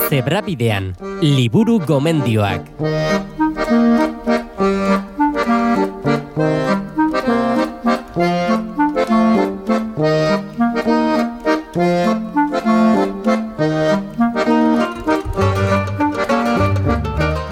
Zebrabidean, liburu gomendioak.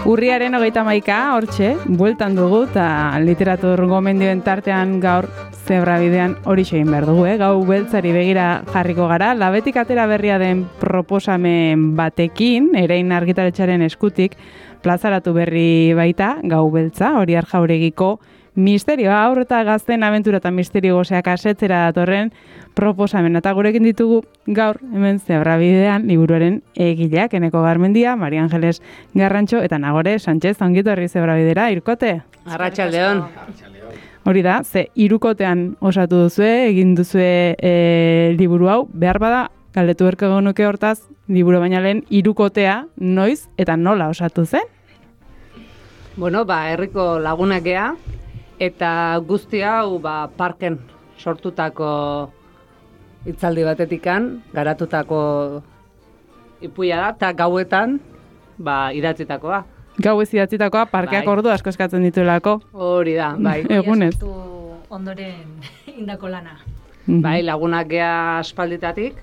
Urriaren 31, hortxe, bueltan dugu, eta literatur gomendioen tartean gaur Zebrabidean hori egin behar dugu, Gau beltzari begira jarriko gara, labetik atera berria den proposamen batekin, Erein argitaletxearen eskutik, plazaratu berri baita, Gau beltza, Horiar Jauregiko misterioa, haur eta gazten abentura eta misterio goseak asetzera datorren proposamen. Eta gurekin ditugu gaur hemen Zebrabidean liburuaren egileak, Eneko Garmendia, Maria Angeles Garrantxo eta Nagore Sánchez, ongito herri Zebrabidera, irkote? Arratsaldeon. Hori da, ze hirukotean osatu duzue, egin duzue liburu hau, behar bada, galdetu berko genuke hortaz, liburu baina lehen hirukotea noiz eta nola osatu zen? Bueno, herriko lagunak gea, eta guzti hau parken sortutako hitzaldi batetikan, garatutako ipuia da, eta gauetan idatzitakoa. Gau ez idatzitakoa, parkeak ordu asko eskatzen dituelako. Hori da, bai. Egunez. Ondoren indako lana. Bai, lagunak gea aspalditatik,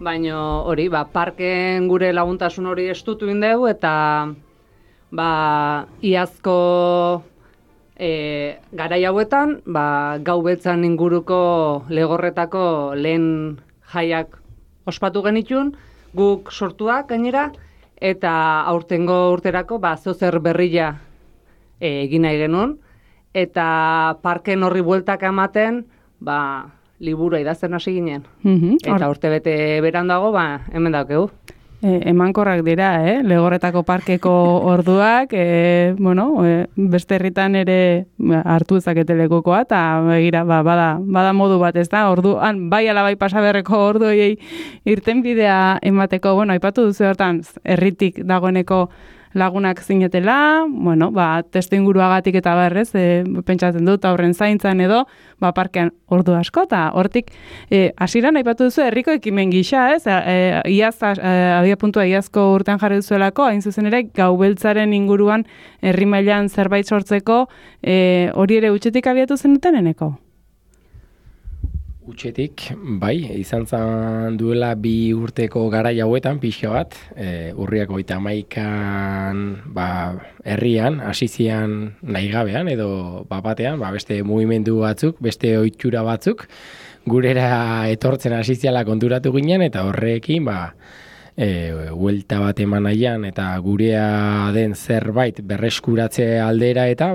baina hori, parken gure laguntasun hori estutu indeu, eta iazko garai hauetan, Gau beltzan inguruko legorretako lehen jaiak ospatu genitun, guk sortuak gainera, eta aurtengo urterako zozer berria egin nahi genuen, eta parken horri bueltak ematen, liburua idazten hasi ginen. Eta urte bete berandago, hemen daukegu. Emankorrak dira, Legorretako parkeko orduak, beste herritan ere hartu ezakete lekukoa, eta begira, bada modu bat, ez da, orduan, bai ala bai pasaberreko orduei irten bidea emateko, aipatu duzu hortan, herritik dagoeneko lagunak zinetela, testu inguruagatik eta berrez, pentsatzen dut, aurren zaintzan edo, parkean ordu asko, eta hortik, hasieran aipatu duzu, herriko ekimen gisa, abia puntua iazko urtean jarri duzuelako, hain zuzen ere, Gau beltzaren inguruan herri mailan zerbait sortzeko, hori ere utxetik abiatu zenuten eneko? Utxetik, izan zen duela 2 urteko garai hauetan, pixka bat, urriak 31an, herrian, hasizian nahi gabean, edo batean, beste mugimendu batzuk, beste ohitura batzuk, gurera etortzen hasiziala konturatu ginen, eta horrekin, huelta bat eman nahian, eta gurea den zerbait berreskuratze aldera, eta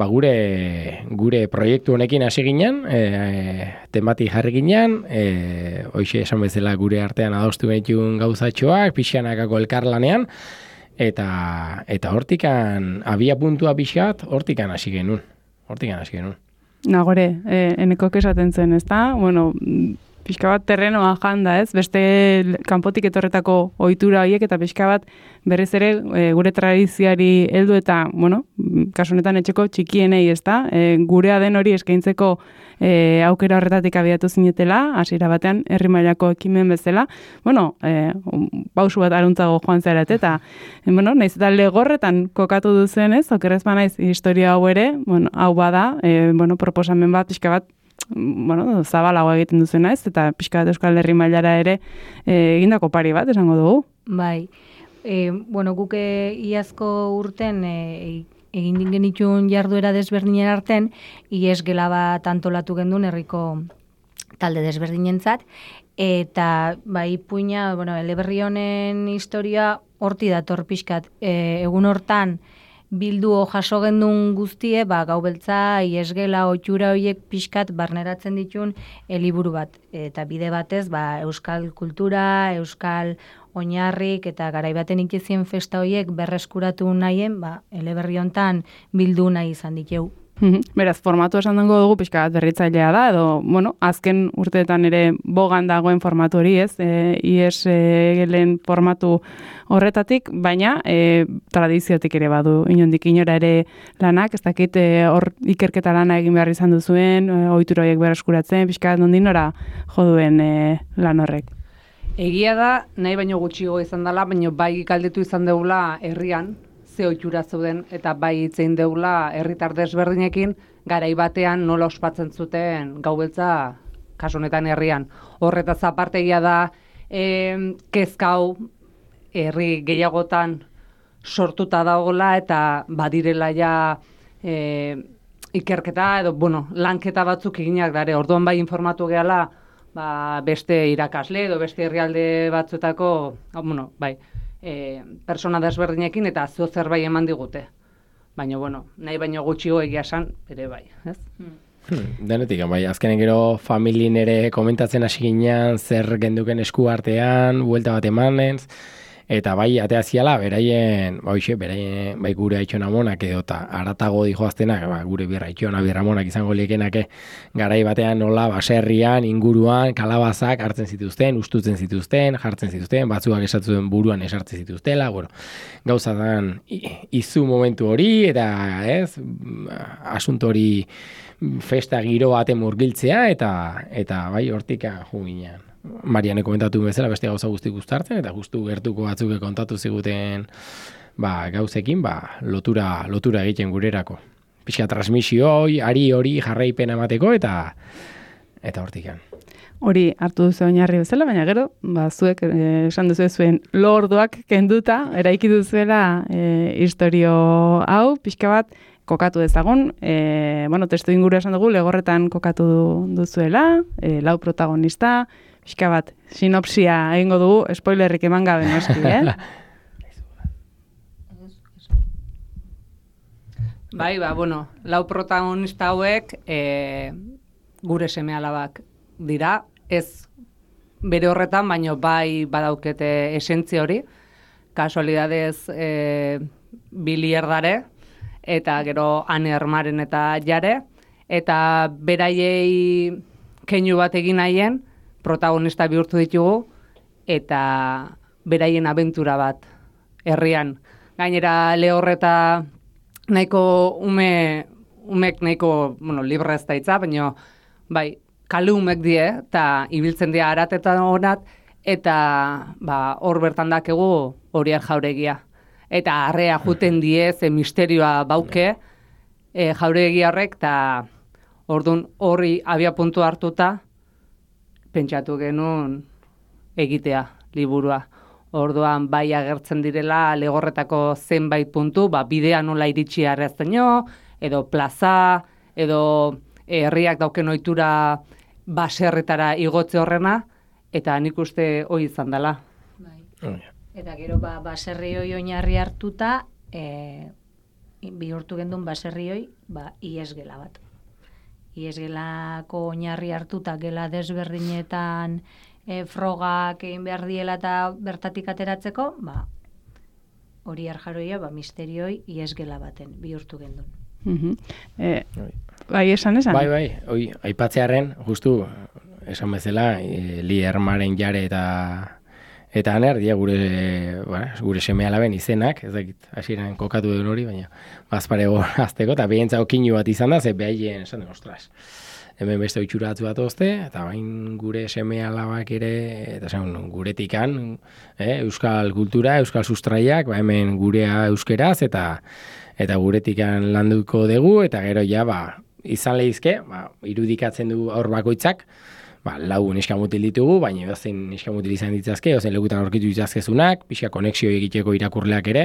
gure proiektu honekin hasi ginen, temati jarri ginen, hoxe esan bezala gure artean adostu genituen gauzatxoak, pixanakako elkarlanean, eta hortikan, abia puntua pixat, hortikan hasi genuen. Nagore, eneko esaten zen, ez da? Pixka bat terrenoa janda, ez? Beste kanpotik etorretako ohitura horiek eta pixka bat berriz ere gure tradizioari heldu eta, kasu honetan etxeko txikienei, ez da? Gurea den hori eskaintzeko aukera horretatik abiatu zinetela, hasiera batean herri mailako ekimen bezala. Pausu bat aruntzago joan zaret eta, naiz eta Legorretan kokatu duzen, ez? Okerrez banaiz historia hau ere, hau bada, proposamen bat, pixka bat, zabalago egiten duzena, ez? Eta pixka bat Euskal Herri mailara ere egindako pari bat, esango dugu. Bai. Guk iazko urten egin genitun jarduera desberdinen arten, iesgela bat antolatu gendun herriko talde desberdinentzat, eta ipuina, eleberri honen historia horti dator pixkat. Egun hortan, bildu jaso gendun guztie, Gau beltza, iesgela, ohitura horiek pixkat barneratzen ditun liburu bat. Eta bide batez, euskal kultura, euskal oinarrik eta garaibaten ikizien festa horiek berreskuratu nahien, eleberri hontan bildu nahi izan diteu. Beraz, formatu esan dengo dugu pixka bat berritzailea da, edo, azken urteetan ere bogan dagoen formatu hori, ez? IES-gelen formatu horretatik, baina tradiziotik ere badu, inondik inora ere lanak, ez dakit hor ikerketa lana egin behar izan duzuen, ohitura horiek berreskuratzen, pixka bat nondin nora joduen lan horrek. Egia da, nahi baino gutxiago izan dela, baino bai galdetu izan deula herrian, ze ohitura zeuden, eta bai hitzein deula herritar desberdinekin, garai batean nola ospatzen zuten gau beltza, kasu honetan herrian. Horretaz apartegia da, kezkau herri gehiagotan sortuta dagoela eta badirela ja ikerketa edo, lanketa batzuk eginak dare. Orduan bai informatu gehala, beste irakasle edo beste herrialde batzuetako, persona desberdinekin eta zerbait eman digute. Baina, nahi baino gutxiago egia esan, ere bai, ez? Denetik, bai, azkenen gero familien ere komentatzen hasi ginean, zer genduken esku artean, buelta bat emanenz, eta bai, atea ziala, beraien gure aitxona monak edo, eta aratago dijoaztenak, gure birra monak izango liekenake, garai batean nola, baserrian, inguruan, kalabazak hartzen zituzten, ustutzen zituzten, jartzen zituzten, batzuak esatzen buruan esartzen zituztela, gauzatan izu momentu hori, eta asunto hori festa giro baten murgiltzea, eta bai, hortik jo ginean. Mariane komentatu bezala beste gauza guztik guztartzen, eta justu gertuko batzuk kontatu ziguten gauzekin, lotura egiten gurerako. Pixka transmisio hori jarraipen emateko, eta hortikan. Hori hartu duzu oinarri bezala, baina gero, zuek esan duzu zuen lorduak kenduta, eraiki duzuela historio hau, pixka bat, kokatu dezagun, testu inguru esan dugu, Legorretan kokatu duzuela, lau protagonista, pixka bat, sinopsia egingo dugu, spoilerrik eman gabe noski, Bai, lau protagonista hauek gure seme-alabak dira, ez bere horretan, baino bai badaukete esentzia hori, kasualidadez Bili Erdare, eta gero Ane Ermaren eta Jare, eta beraiei keinu bat egin nahien, protagonista bihurtu ditugu, eta beraien abentura bat herrian. Gainera Lehorreta nahiko umek nahiko, libre ez da itza, baina bai, kale umek die, eta ibiltzen dira aratetan honat, eta hor bertan dakegu Horiar Jauregia. Eta arrea juten die, ze misterioa bauke Jauregia horrek, eta orduan horri abia puntu hartuta, pentsatu genuen egitea liburua. Orduan bai agertzen direla Legorretako zenbait puntu, bidea nola iritsi arrezteno, edo plaza, edo herriak dauken ohitura baserretara igotze horrena, eta nik uste hori izan dela. Eta gero baserri hoi oinarri hartuta, bihurtu gendun baserri hoi, iesgela bat. Iesgelako oinarri hartuta gela desberdinetan frogak egin behar diela eta bertatik ateratzeko, Horiar Jauregia misterioi iesgela baten bihurtu gendun. Bai, esan? Bai, aipatzearen, justu, esan bezala, Li Ermaren Jare eta Aner, dia gure seme-alaben izenak, ez dakit, hasieran kokatu den hori, baina bazparego azteko, eta behientza okinu bat izan da, ze behaien, esan den, ostras, hemen beste oitxura batzu bat ozte, eta bain gure seme-alabak ere, eta guretikan, euskal kultura, euskal sustraiak, hemen gurea euskeraz, eta guretikan landuko dugu, eta gero izan lehizke, irudikatzen du aur bakoitzak, lau neskamutil ditugu, baina edozein neskamutil izan ditzazke, edozein lekutan aurkitu ditzazkezunak, pixka konexio egiteko irakurleak ere,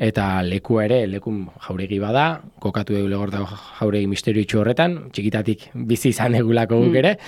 eta lekua ere, lekun jauregi bada, kokatu dugu Legorretako jauregi misterioitxu horretan, txikitatik bizi izan egulako guk ere,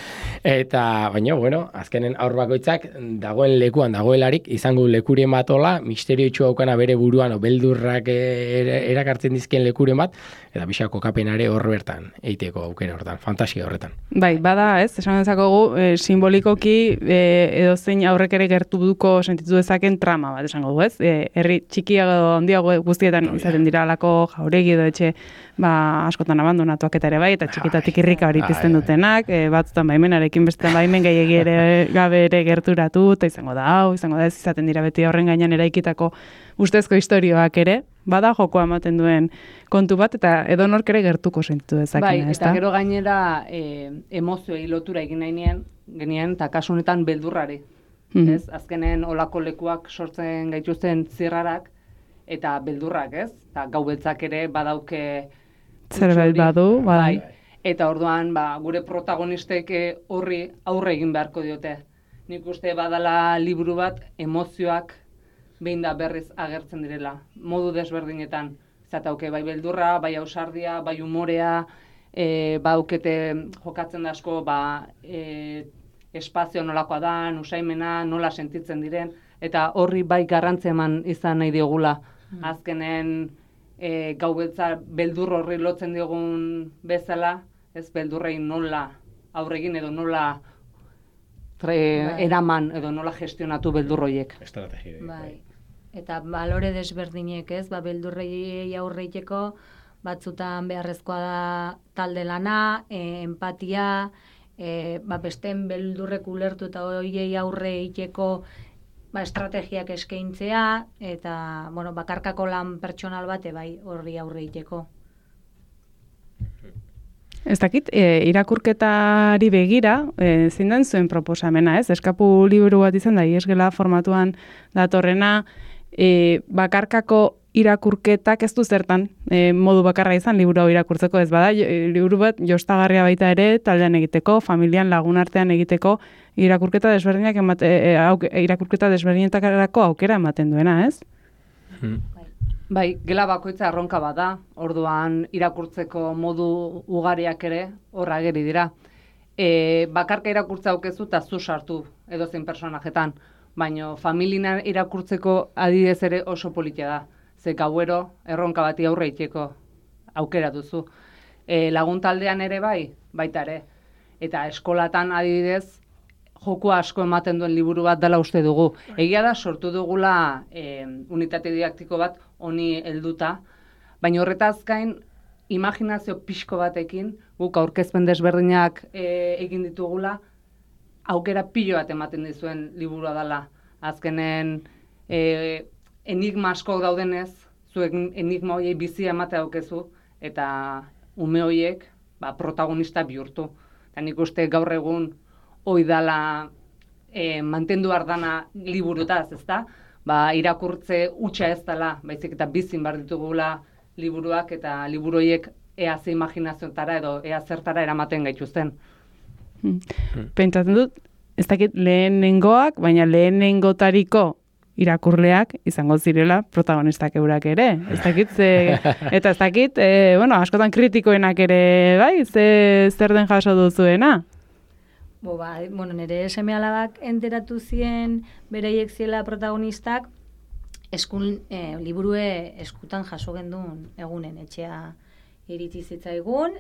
eta, baina, azkenen aur bakoitzak dagoen lekuan dagoelarik, izango lekurien bat hola, misterioitxu haukana bere buruan, beldurrak erakartzen dizken lekuren bat, eta pixka kokapenare hor bertan, eiteko aukera horretan, fantasia horretan. Bai, bada, esan dezakogu, simbolikoki edozein aurrek ere gertuko sentitu dezaken trama bat esango du, ez? Herri txikiago handiago guztietan izaten dira alako jauregi edo etxe askotan abandonatuak eta ere bai, eta txikitatik irrika hori pizten dutenak, batzutan baimenarekin bestetan baimen gehiegi ere gabe ere gerturatu, eta izango da ez izaten dira beti horren gainean eraikitako ustezko istorioak ere, bada jokoa ematen duen kontu bat, eta edonork ere gertuko sentitu dezakena, ez da? Eta gero gainera emozioei lotura egin nahi genien, eta kasu honetan beldurrari. ez? Azkenen olako lekuak sortzen gaituzten zirrarak eta beldurrak, ez? Eta gau beltzak ere badauke Zerbait badu, bai. Eta orduan, gure protagonistek horri aurre egin beharko diote. Nik uste badala liburu bat emozioak behin da berriz agertzen direla, modu desberdinetan. Zatauke bai beldurra, bai ausardia, bai umorea, baukete jokatzen da asko, espazio nolakoa da, usaimena, nola sentitzen diren, eta horri bai garrantzia eman izan nahi diogula. Azkenen gau beltza beldur horri lotzen diogun bezala, ez beldurrei nola aurregin edo nola eraman edo nola gestionatu beldurroiek. Estrategia. Bai. Eta balore desberdinek, ez? Beldurrei aurreiteko batzutan beharrezkoa da talde lana, empatia, besteen beldurrek ulertu eta horiei aurre egiteko estrategiak eskaintzea eta bakarkako lan pertsonal bate bai horri aurre egiteko. Ez dakit, irakurketari begira, zein den zuen proposamena, ez? Eskapu liburu bat izan da, iesgela formatuan datorrena, bakarkako irakurketak ez du zertan modu bakarra izan liburu hau irakurtzeko, ez bada, liburu bat jostagarria baita ere, taldean egiteko, familian lagunartean egiteko, irakurketa desberdinetarako aukera ematen duena, ez? Bai, gela bakoitza erronka bada, orduan irakurtzeko modu ugariak ere horra ageri dira. Bakarka irakurtza aukezu eta zu sartu edozein personajetan, baina familina irakurtzeko adidez ere oso politia da. Ze gauero erronka bati aurre iteko aukera duzu. Lagun taldean ere baita ere. Eta eskolatan adibidez, joku asko ematen duen liburu bat dela uste dugu. Egia da sortu dugula unitate didaktiko bat honi helduta, baina horretaz gain imaginazio pixko batekin, guk aurkezpen desberdinak egin ditugula, aukera pilo bat ematen dizuen liburua dela. Azkenen enigma asko daudenez, zuek enigma horiei bizia ematea aukezu, eta ume horiek protagonista bihurtu. Eta nik uste gaur egun hoi dala mantendu ardana liburutaz, ezta? Irakurtze hutsa ez dela, baizik eta bizin behar ditugula liburuak eta liburoiek ea ze imaginazioetara edo ea zertara eramaten gaituzten. Pentsatzen dut, ez dakit lehenengoak, baina lehenengotariko irakurleak izango zirela protagonistak eurak ere. Ez dakit, eta ez dakit, askotan kritikoenak ere, bai, zer den jaso duzuena? Nire seme-alabak enteratu zien bereiek ziela protagonistak, liburue eskutan jaso gendun egunen etxea iritsi zitzaigun,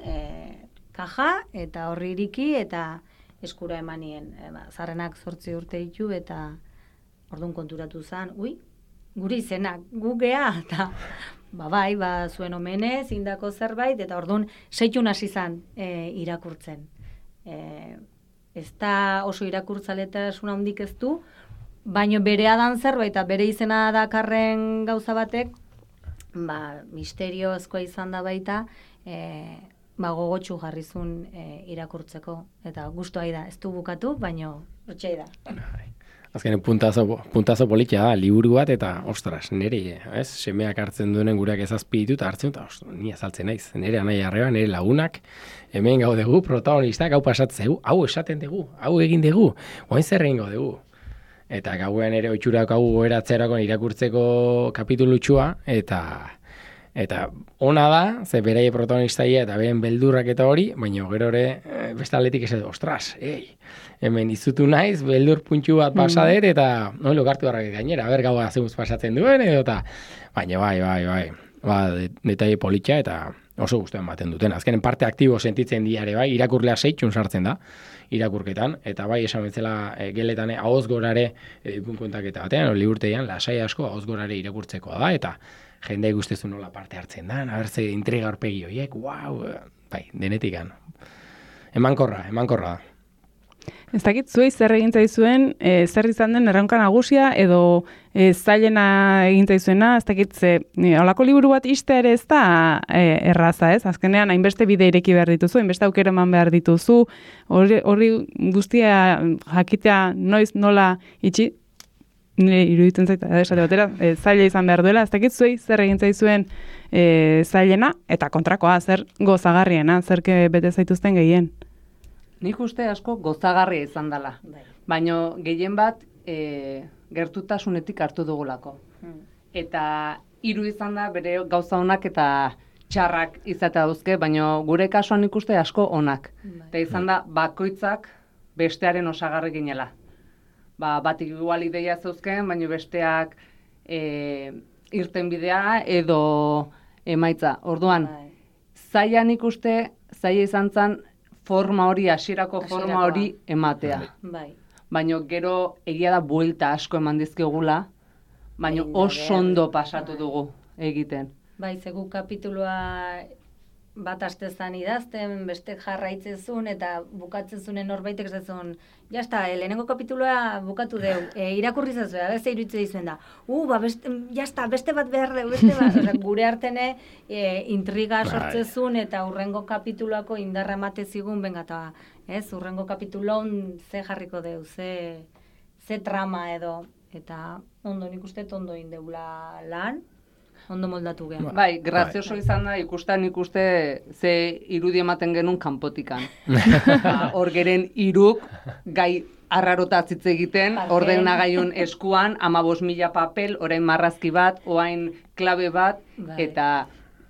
kaja eta horri iriki eta eskura emanien. Zarrenak 8 urte ditu eta orduan konturatu zen, gure izenak, gu gea, eta zuen omenez, indako zerbait, eta orduan seitun hasi zen irakurtzen. Ez da oso irakurtzaletasun handik ez du, baina berea dan zerbait eta bere izena dakarren gauza batek, misteriozkoa izan da baita, gogotsu jarrizun irakurtzeko. Eta guztua da, ez du bukatu, baina hortxai da. Azkenean puntazo politia da, liburu bat eta, ostras, nire, semeak hartzen duenen gureak ezazpi ditu eta hartzen, eta ni azaltzen naiz, nire anai arreba, nire lagunak, hemen gau dugu, protagonistak, hau pasatzen dugu, hau esaten dugu, hau egin dugu, oain zer egin gau dugu. Eta gauean ere oitxurak hau goeratzerako irakurtzeko kapitulutxua, eta ona da, ze beraie protagonistaia eta beren beldurrak eta hori, baina gero ere beste aldetik ez ostras, hemen izutu naiz, beldur puntxu bat pasadet, eta lokartu harrak gainera, gaua zeuz pasatzen duen, eta baina bai, detaile politxa eta oso guztuen ematen duten. Azkenen parte aktibo sentitzen diare bai, irakurlea 6 sartzen da, irakurketan, eta bai esan betzela geletan ahoz gorare kontaketa batean, liburteian, lasai asko ahoz gorare irakurtzekoa da, eta jende guztezu nola parte hartzen da, abertze intriga horpegi horiek, bai, denetikan. Emankorra da. Ez dakit, zuei zer egin zaizuen, zer izan den erronka nagusia, edo zailena egin zaizuena, ez dakit, holako liburu bat iste ere ez da erraza, ez? Azkenean, hainbeste bide ireki behar dituzu, hainbeste aukera eman behar dituzu, hori guztia jakitea noiz nola itxi, nire iruditzen zaita, esate batera, zaila izan behar duela, ez dakit, zuei zer egin zaizuen zailena, eta kontrakoa, zer gozagarriena, zer bete zaituzten gehien. Nik uste asko gozagarria izan dela. Baina gehien bat gertutasunetik hartu dugulako. Eta hiru izan da bere gauza onak eta txarrak izatea dauzke, baina gure kasuan nik uste asko onak. Eta izan da bakoitzak bestearen osagarri ginela. Batik igual ideia zeuzken, baina besteak irten bidea edo emaitza. Orduan, zaila nik uste, zaila izan zen, forma hori, hasierako forma hori ematea. Baina gero egia da buelta asko eman dizkigula, baina oso ondo pasatu dugu egiten. Bai, zegu kapitulua bat astezan idazten, beste jarraitzezun eta bukatzezun norbaitek zezun, jazta, lehenengo kapitulua bukatu deu, irakurri zezue, beste iruditze dizuen da, jazta, beste bat behar deu, beste bat, gure artene intriga sortzezun eta urrengo kapituluako indarra emate zigun, benga, eta urrengo kapitulon ze jarriko deu, ze trama edo, eta ondo nik uste ondo indeula lan, ondo moldatu gen. Bai, grazioso izan da ikuste ze irudi ematen genuen kanpotikan. Hor geren iruk gai arrarota hitz egiten, ordenagaiun eskuan 15.000 papel, orain marrazki bat, orain klabe bat, eta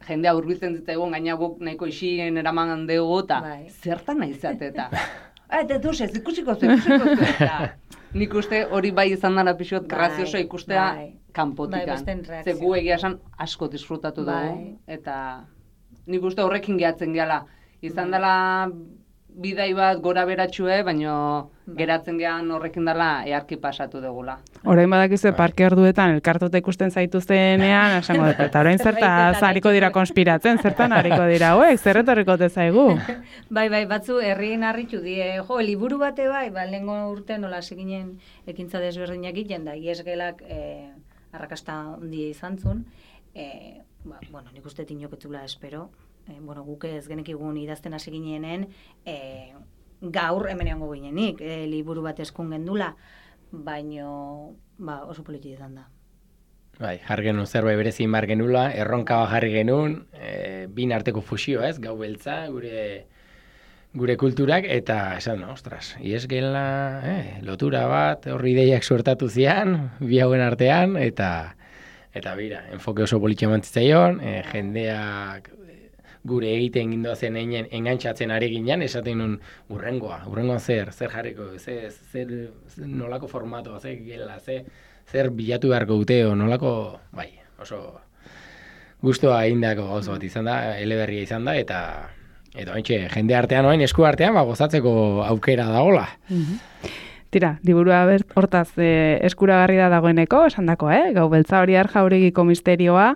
jendea hurbiltzen zitzaigun gaina guk nahiko isien eraman dugu, eta zertan nahi zate, eta eta duzez, ikusiko zu, eta nik uste hori bai izan dara pixot grazioso ikustea kanpotikan. Ze gu egia esan asko disfrutatu dugu, eta nik uste horrekin gehatzen gehala. Izan dela bidai bat gora beratxue, baina geratzen gehan horrekin dela earki pasatu dugula. Orain badakizue parke orduetan elkartuta ikusten zaituztenean, esango dut, eta orain zertaz hariko dira konspiratzen, zertan hariko dira, zer etorriko zaigu? Bai, batzu herrien harritu die, liburu bate bai, lehengo urte nola seginen ekintza desberdinak egiten da, iesgelak arrakasta handia izan zuen, nik uste tinoketzula espero, guk ez genekigun idazten hasi ginenen, gaur hemen egongo ginenik, liburu bat eskun gendula, baino oso politi izan da. Bai, jarri genuen zerbait berezin bar genula, erronka jarri genuen, bin arteko fusio ez, gau beltza, gure kulturak, eta esan, ostras, iesgela, lotura bat, horri ideiak suertatu zian, bi hauen artean, eta bira, enfoke oso politxe mantzitzaion, jendeak gure egiten gindoazen engantzatzen ari ginen, esaten nun urrengoa zer jarriko, zer nolako formatoa, zer gela, zer bilatu beharko duteo, nolako, bai, oso guztua egindako gauza bat izan da, eleberria izan da, eta haintxe, jende artean oain, esku artean, gozatzeko aukera dagoela. Tira, liburua hortaz eskuragarri da dagoeneko, esan dako, Gau beltza hori Jauregiko misterioa,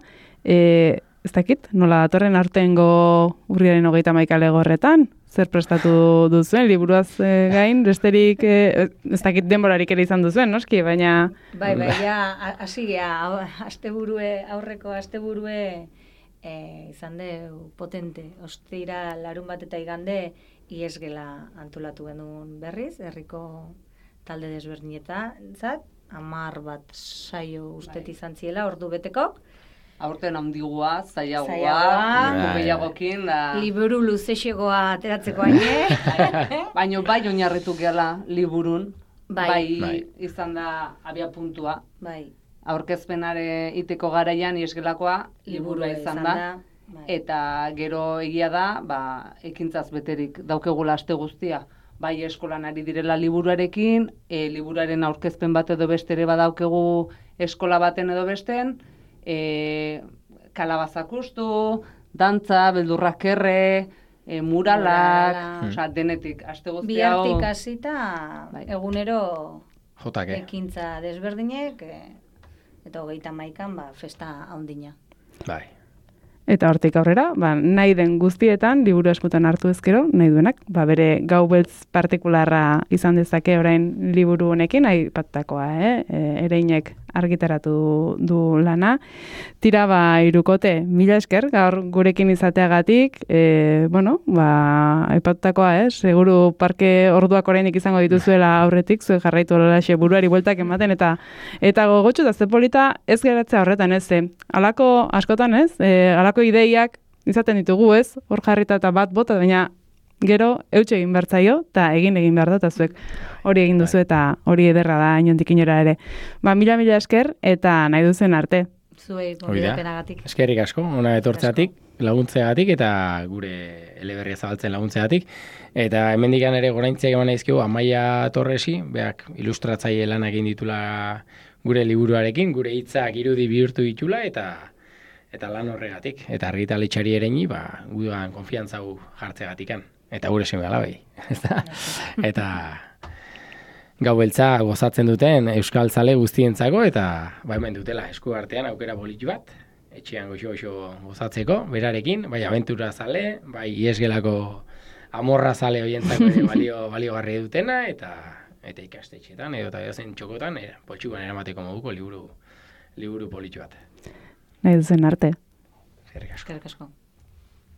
ez dakit, nola datorren aurtengo urriaren 31 legorretan? Zer prestatu duzuen, liburuaz gain, besterik, ez dakit denborarik ere izan duzuen, noski, baina... Bai, hasi geha, aurreko asteburue izan de potente. Ostira larun bat eta igande, iesgela antolatu genuen berriz, herriko talde desberdinetan, 10 bat saio ustet izan ziela, ordu betekok, aurten handigua, zailagoa, gehiagokin da... Liburu luzexegoa ateratzeko aine. Baina bai oinarritu gehala liburun, bai izan da abia puntua. Aurkezpenare iteko garaian iesgelakoa liburua izan da. Eta gero egia da, ekintzaz beterik daukegula aste guztia. Bai eskolan ari direla liburuarekin, liburuaren aurkezpen bat edo bestere badaukegu eskola baten edo besten, kalabazak ustu, dantza, beldurrak erre, muralak, denetik, aste guzti hau... Bihartik hasita egunero ekintza desberdinek, eta 31an festa handina. Bai. Eta hortik aurrera, nahi den guztietan, liburu eskutan hartu ezkero, nahi duenak, bere gau beltz partikularra izan dezake orain liburu honekin, aipatutakoa, Ereinek argitaratu du lana. Tira irukote, mila esker, gaur gurekin izateagatik, aipatutakoa, seguru parke orduak orainik izango dituzuela aurretik, zuek jarraitu olaxe buruari bueltak ematen, eta gogotxu eta zepolita ez geratzea horretan, alako askotan, alako ideiak izaten ditugu, hor jarrita eta bat bota, baina gero eutxe egin behar zaio, eta egin behar da, eta zuek hori egin duzu, eta hori ederra da, inondik inora ere. Mila esker, eta nahi duzen arte. Zuei, gobidapenagatik. Eskerrik asko, ona etortzeatik, laguntzeagatik, eta gure eleberria zabaltzen laguntzeagatik. Eta hemendikan ere goraintziak eman aizkigu, Amaia Torresi, beak ilustratzaile lan egin ditula gure liburuarekin, gure hitzak irudi bihurtu ditula, eta lan horregatik. Eta argitaletxari ereni, gudan konfiantzagu jartzeagatikan. Eta gure seme alabei. Eta gau beltza gozatzen duten euskal zale guztientzako, eta hemen dutela esku artean aukera politu bat, etxean goxo gozatzeko, berarekin, bai abentura zale, bai iesgelako amorra zale horientzako baliogarri dutena, eta ikastetxetan, edo eta edozen txokotan, poltsukan eramateko moduko liburu politu bat. Nahi duzen arte. Eskerrik asko.